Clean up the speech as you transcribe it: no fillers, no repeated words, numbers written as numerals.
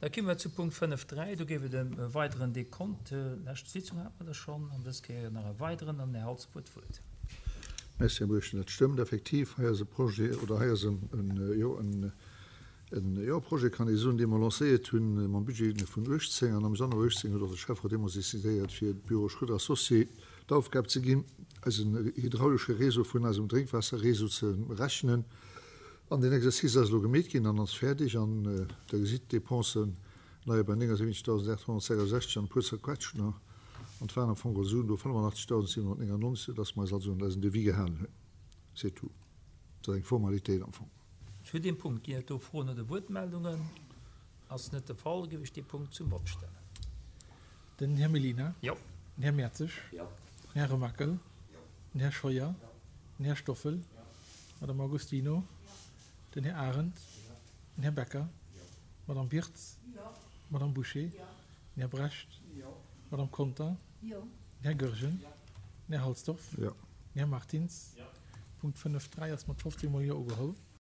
Da komme mer zu Punkt 5.3. Do géif et ëm e weideren Dekont. Lescht Sitzung hate mer der schonn, an dës Kéier nach e weideren. An den Här Halsdorf huet d'Wuert. Merci, Här Buergermeeschter. Dat stëmmt effektiv. Hei ass e Projet, oder hei ass en, jo, en, jo, Projet kann ee soen, dee mer lancéiert hunn mam Budget vun 18. An am Januar 18 huet och de Schäfferot deemools decidéiert, fir Büro Schröder Associés d'Aufgab ze ginn, eisen hydraulesche Réseau vun eisem Drénkwaasserréseau ze rechnen. An deen Exercice ass elo gemeet ginn an ass fäerdeg. An Der gesitt, d'Dépensen leie bei 79.866 an e puer zerquetscht nach. An et waren am Fong geholl Suen do, 85.799, soudass mer eis also un eisen Devis gehalen hunn. C'est tout. Dat ass eng Formalitéit am Fong. Zu deem Punkt ginn et do Froen oder Wuertmeldungen? Ass net de Fall, géif ech dee Punkt zum Vott stellen. Den Här Mellina. Jo. Den Här Mertzig. Jo. Den Här Remakel. Jo. Den Här Scheuer. Jo. Den Här Stoffel. Jo. D'Madame Augustino. Jo. Den Här Arendt. Jo. Den Här Becker. Jo. D'Madame Birtz. Jo. D'Madame Bouché. Jo. Den Här Brecht. Jo. D'Madame Conter. Jo. Den Här Goergen. Jo. Den Här Halsdorf. Jo. Den Här Martins. Jo. Punkt 5.3 ass mat 15 mol Jo ugeholl.